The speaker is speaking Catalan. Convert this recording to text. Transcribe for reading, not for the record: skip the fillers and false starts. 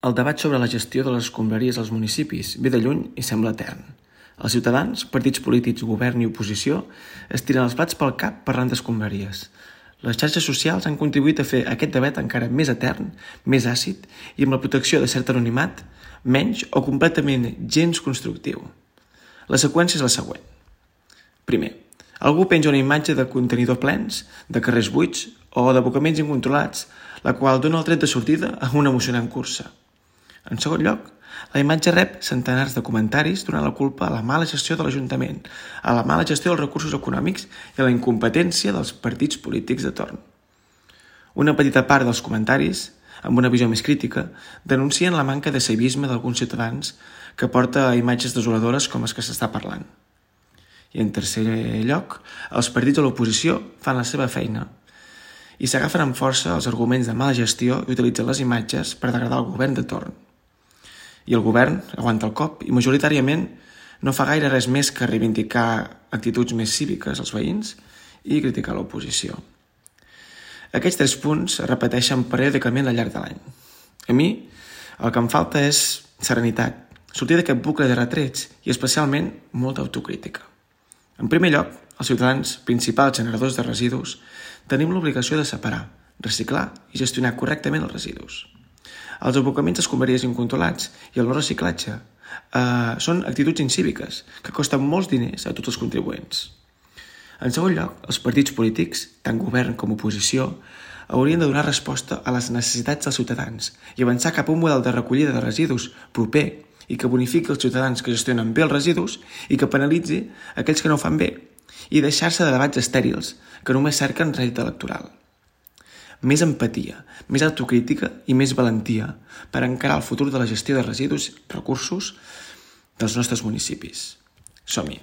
El debat sobre la gestió de les escombraries als municipis ve de lluny i sembla etern. Els ciutadans, partits polítics, govern i oposició es tiren els plats pel cap parlant d'escombraries. Les xarxes socials han contribuït a fer aquest debat encara més etern, més àcid i amb la protecció de cert anonimat, menys o completament gens constructiu. La seqüència és la següent. Primer, algú penja una imatge de contenidors plens, de carrers buits o d'abocaments incontrolats, la qual dona el tret de sortida a una emocionant cursa. En segon lloc, la imatge rep centenars de comentaris donant la culpa a la mala gestió de l'Ajuntament, a la mala gestió dels recursos econòmics i a la incompetència dels partits polítics de torn. Una petita part dels comentaris, amb una visió més crítica, denuncien la manca de civisme d'alguns ciutadans que porta a imatges desoladores com les que s'està parlant. I en tercer lloc, els partits de l'oposició fan la seva feina i s'agafen amb força els arguments de mala gestió i utilitzen les imatges per degradar el govern de torn. I el govern aguanta el cop i majoritàriament no fa gaire res més que reivindicar actituds més cíviques als veïns i criticar l'oposició. Aquests 3 punts es repeteixen periòdicament al llarg de l'any. A mi el que em falta és serenitat, sortir d'aquest bucle de retrets i especialment molta autocrítica. En primer lloc, els ciutadans, principals generadors de residus, tenim l'obligació de separar, reciclar i gestionar correctament els residus. Els abocaments d'escombraries incontrolats i el no reciclatge són actituds incíviques que costen molts diners a tots els contribuents. En segon lloc, els partits polítics, tant govern com oposició, haurien de donar resposta a les necessitats dels ciutadans i avançar cap a un model de recollida de residus proper i que bonifiqui els ciutadans que gestionen bé els residus i que penalitzi aquells que no ho fan bé i deixar-se de debats estèrils que només cerquen rèdit electoral. Més empatia, més autocrítica i més valentia per encarar el futur de la gestió de residus i recursos dels nostres municipis. Som-hi!